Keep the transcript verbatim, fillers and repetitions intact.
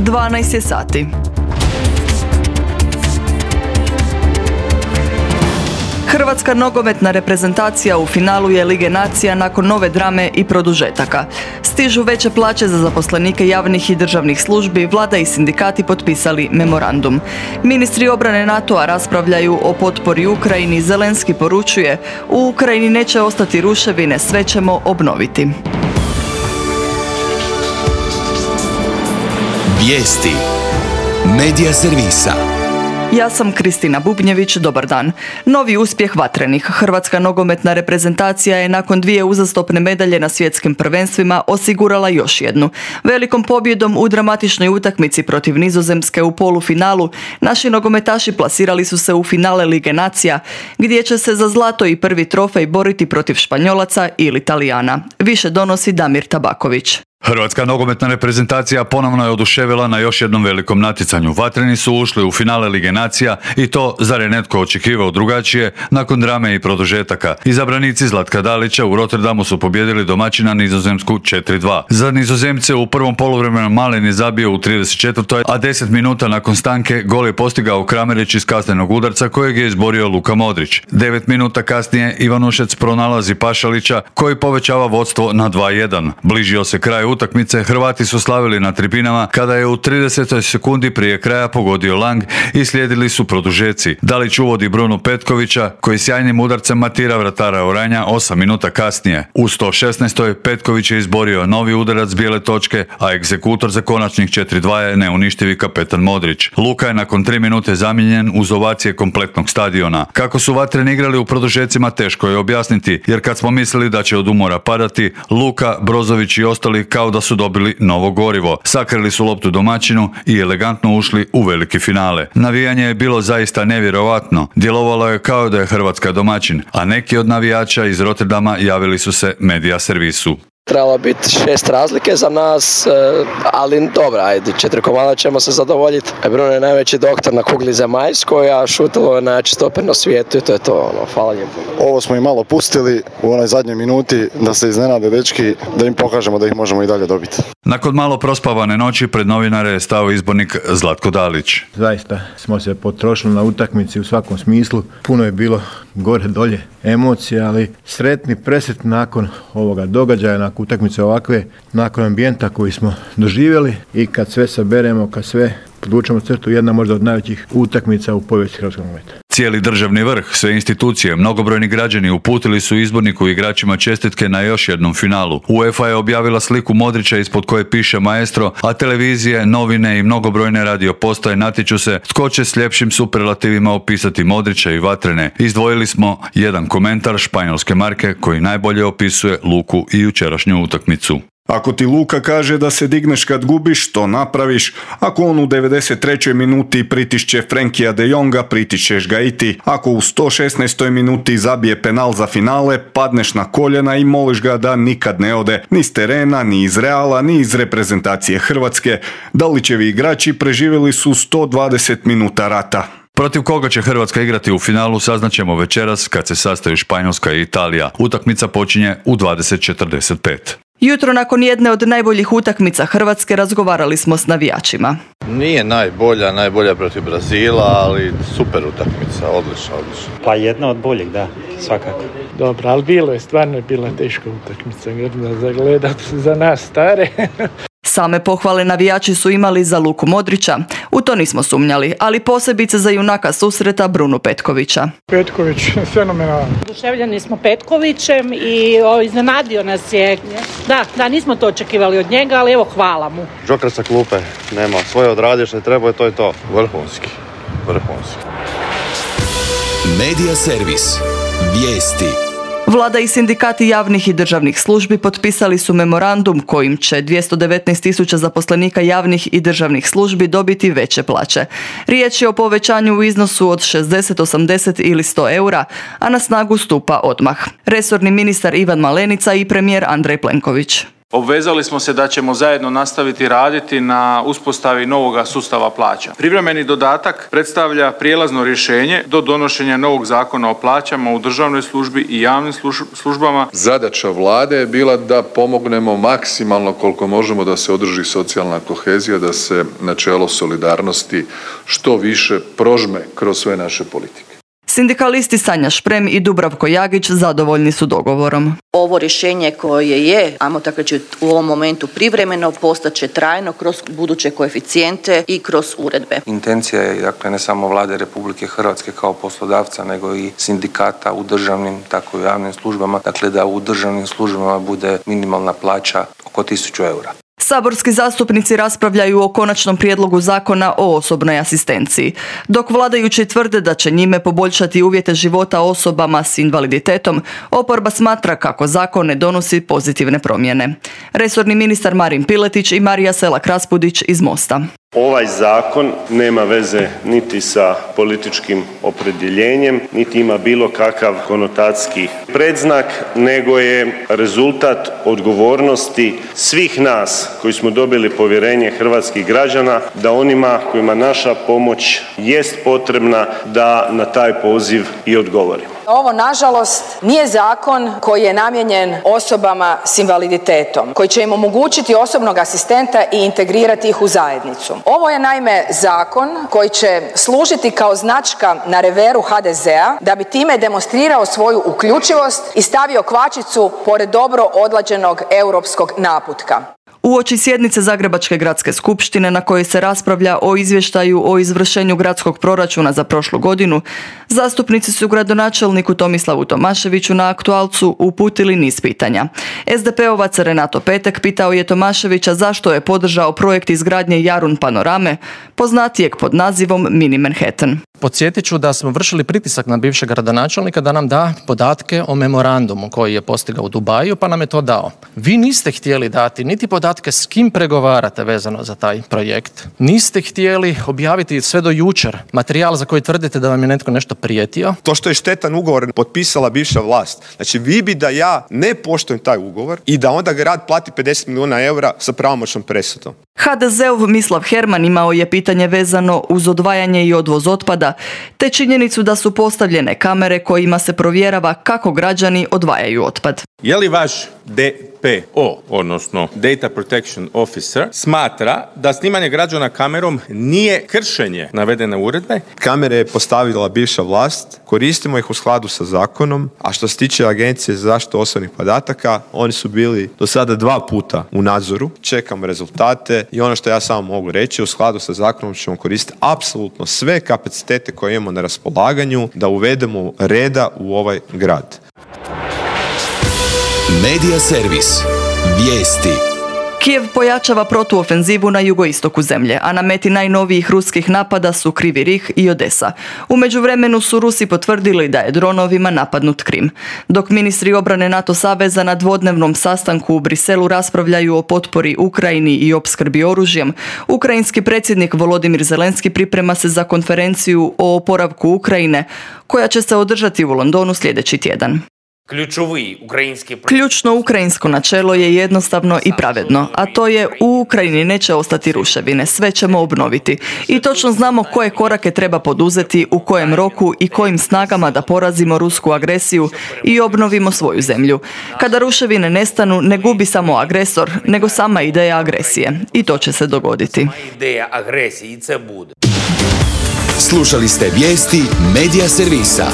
dvanaest je sati. Hrvatska nogometna reprezentacija u finalu je Lige nacija nakon nove drame i produžetaka. Stižu veće plaće za zaposlenike javnih i državnih službi, vlada i sindikati potpisali memorandum. Ministri obrane NATO-a raspravljaju o potpori Ukrajini, Zelenski poručuje: u Ukrajini neće ostati ruševine, sve ćemo obnoviti. Vijesti Medija servisa. Ja sam Kristina Bubnjević, dobar dan. Novi uspjeh vatrenih. Hrvatska nogometna reprezentacija je nakon dvije uzastopne medalje na svjetskim prvenstvima osigurala još jednu. Velikom pobjedom u dramatičnoj utakmici protiv Nizozemske u polufinalu, naši nogometaši plasirali su se u finale Lige nacija, gdje će se za zlato i prvi trofej boriti protiv Španjolaca ili Talijana. Više donosi Damir Tabaković. Hrvatska nogometna reprezentacija ponovno je oduševila na još jednom velikom natjecanju. Vatreni su ušli u finale Lige nacija i to, zar je netko očekivao drugačije, nakon drame i produžetaka. Izabranici Zlatka Dalića u Rotterdamu su pobijedili domaćina Nizozemsku četiri dva. Za Nizozemce u prvom poluvremenu Malen je zabio u trideset četvrtoj a deset minuta nakon stanke gol je postigao Kramarić iz kaznenog udarca kojeg je izborio Luka Modrić. devet minuta kasnije Ivanušec pronalazi Pašalića koji povećava vodstvo na dva jedan. Bližio se kraj utakmice, Hrvati su slavili na tribinama kada je u tridesetoj sekundi prije kraja pogodio Lang i slijedili su produžeci. Dalić uvodi Brunu Petkovića koji sjajnim udarcem matira vratara Oranja osam minuta kasnije. U sto šesnaestoj Petković je izborio novi udarac bijele točke, a egzekutor za konačnih četiri dva je neuništivi kapetan Modrić. Luka je nakon tri minute zamijenjen uz ovacije kompletnog stadiona. Kako su vatreni igrali u produžecima teško je objasniti, jer kad smo mislili da će od umora padati, Luka, Brozović i ostali kao da su dobili novo gorivo. Sakrili su loptu domaćinu i elegantno ušli u veliki finale. Navijanje je bilo zaista nevjerovatno. Djelovalo je kao da je Hrvatska domaćin, a neki od navijača iz Rotterdama javili su se medija servisu. Trebalo biti šest razlike za nas, ali dobra, ajde, četiri komada ćemo se zadovoljiti. Bruno je najveći doktor na kugli zemaljskoj, a Šutilo je najjači stoper na svijetu i to je to, ono, hvala njemu. Ovo smo i malo pustili u onoj zadnjoj minuti da se iznenade dečki, da im pokažemo da ih možemo i dalje dobiti. Nakon malo prospavane noći pred novinare je stao izbornik Zlatko Dalić. Zaista smo se potrošili na utakmici u svakom smislu. Puno je bilo gore dolje emocija, ali sretni, presretni nakon ovoga događaja, nakon utakmice ovakve, nakon ambijenta koji smo doživjeli i kad sve saberemo, kad sve podvučemo crtu, jedna možda od najvećih utakmica u povijesti hrvatskog nogometa. Cijeli državni vrh, sve institucije, mnogobrojni građani uputili su izborniku i igračima čestitke na još jednom finalu. UEFA je objavila sliku Modrića ispod koje piše maestro, a televizije, novine i mnogobrojne radio postaje natječu se tko će s ljepšim superlativima opisati Modrića i vatrene. Izdvojili smo jedan komentar španjolske marke koji najbolje opisuje Luku i jučerašnju utakmicu. Ako ti Luka kaže da se digneš kad gubiš, to napraviš. Ako on u devedeset trećoj minuti pritišće Frenkija de Jonga, pritišćeš ga i ti. Ako u sto šesnaestoj minuti zabije penal za finale, padneš na koljena i moliš ga da nikad ne ode ni s terena, ni iz Reala, ni iz reprezentacije Hrvatske. Dalićevi igrači preživjeli su sto dvadeset minuta rata. Protiv koga će Hrvatska igrati u finalu saznaćemo večeras kad se sastaju Španjolska i Italija. Utakmica počinje u dvadeset četrdeset pet. Jutro nakon jedne od najboljih utakmica Hrvatske razgovarali smo s navijačima. Nije najbolja, najbolja protiv Brazila, ali super utakmica, odlična, odlična. Pa jedna od boljih, da, svakako. Dobro, ali bilo je, stvarno je bila teška utakmica, grdna za gledat za nas stare. Same pohvale navijači su imali za Luku Modrića, u to nismo sumnjali, ali posebice za junaka susreta Brunu Petkovića. Petković, fenomenalan. Oduševljeni smo Petkovićem i o, iznenadio nas je. Da, da, nismo to očekivali od njega, ali evo hvala mu. Džoker sa klupe, nema, svoje odradio što je trebao, to je to. Vrhunski, vrhunski. Medija servis. Vijesti. Vlada i sindikati javnih i državnih službi potpisali su memorandum kojim će dvjesto devetnaest tisuća zaposlenika javnih i državnih službi dobiti veće plaće. Riječ je o povećanju u iznosu od šezdeset, osamdeset ili sto eura, a na snagu stupa odmah. Resorni ministar Ivan Malenica i premijer Andrej Plenković. Obvezali smo se da ćemo zajedno nastaviti raditi na uspostavi novoga sustava plaća. Privremeni dodatak predstavlja prijelazno rješenje do donošenja novog zakona o plaćama u državnoj službi i javnim službama. Zadaća vlade je bila da pomognemo maksimalno koliko možemo da se održi socijalna kohezija, da se načelo solidarnosti što više prožme kroz sve naše politike. Sindikalisti Sanja Šprem i Dubravko Jagić zadovoljni su dogovorom. Ovo rješenje koje je, ajmo tako reći, u ovom momentu privremeno, postaće trajno kroz buduće koeficijente i kroz uredbe. Intencija je, dakle, ne samo vlade Republike Hrvatske kao poslodavca, nego i sindikata u državnim, tako i u javnim službama, dakle da u državnim službama bude minimalna plaća oko tisuću eura. Saborski zastupnici raspravljaju o konačnom prijedlogu zakona o osobnoj asistenciji. Dok vladajući tvrde da će njime poboljšati uvjete života osobama s invaliditetom, oporba smatra kako zakon ne donosi pozitivne promjene. Resorni ministar Marin Piletić i Marija Selak-Raspudić iz Mosta. Ovaj zakon nema veze niti sa političkim opredjeljenjem, niti ima bilo kakav konotacijski predznak, nego je rezultat odgovornosti svih nas koji smo dobili povjerenje hrvatskih građana da onima kojima naša pomoć jest potrebna da na taj poziv i odgovorimo. Ovo, nažalost, nije zakon koji je namijenjen osobama s invaliditetom, koji će im omogućiti osobnog asistenta i integrirati ih u zajednicu. Ovo je naime zakon koji će služiti kao značka na reveru ha de zea da bi time demonstrirao svoju uključivost i stavio kvačicu pored dobro odlađenog europskog naputka. Uoči sjednice Zagrebačke gradske skupštine na kojoj se raspravlja o izvještaju o izvršenju gradskog proračuna za prošlu godinu, zastupnici su gradonačelniku Tomislavu Tomaševiću na aktualcu uputili niz pitanja. es de pe ovac Renato Petek pitao je Tomaševića zašto je podržao projekt izgradnje Jarun panorame, poznatijeg pod nazivom Mini Manhattan. Podsjetit ću da smo vršili pritisak na bivšeg gradonačelnika da nam da podatke o memorandumu koji je postigao u Dubaju, pa nam je to dao. Vi niste htjeli dati niti podatke s kim pregovarate vezano za taj projekt. Niste htjeli objaviti sve do jučer materijal za koji tvrdite da vam je netko nešto prijetio. To što je štetan ugovor potpisala bivša vlast. Znači vi bi da ja ne poštujem taj ugovor i da onda grad plati pedeset milijuna eura sa pravomoćnom presudom. ha de zeov Mislav Herman imao je pitanje vezano uz odvajanje i odvoz otpada, te činjenicu da su postavljene kamere kojima se provjerava kako građani odvajaju otpad. Je li vaš de pe o, odnosno Data Protection Officer, smatra da snimanje građana kamerom nije kršenje navedene uredbe? Kamere je postavila bivša vlast, koristimo ih u skladu sa zakonom, a što se tiče Agencije za zaštitu osobnih podataka, oni su bili do sada dva puta u nadzoru, čekamo rezultate i ono što ja samo mogu reći, u skladu sa zakonom ćemo koristiti apsolutno sve kapacitete koje imamo na raspolaganju da uvedemo reda u ovaj grad. Medija servis. Vijesti. Kijev pojačava protuofenzivu na jugoistoku zemlje, a na meti najnovijih ruskih napada su Krivi Rih i Odesa. U međuvremenu su Rusi potvrdili da je dronovima napadnut Krim. Dok ministri obrane NATO saveza na dvodnevnom sastanku u Briselu raspravljaju o potpori Ukrajini i opskrbi oružjem, ukrajinski predsjednik Volodimir Zelenski priprema se za konferenciju o oporavku Ukrajine, koja će se održati u Londonu sljedeći tjedan. Ključno ukrajinsko načelo je jednostavno i pravedno, a to je u Ukrajini neće ostati ruševine, sve ćemo obnoviti. I točno znamo koje korake treba poduzeti, u kojem roku i kojim snagama da porazimo rusku agresiju i obnovimo svoju zemlju. Kada ruševine nestanu, ne gubi samo agresor, nego sama ideja agresije. I to će se dogoditi. Slušali ste vijesti Medija servisa.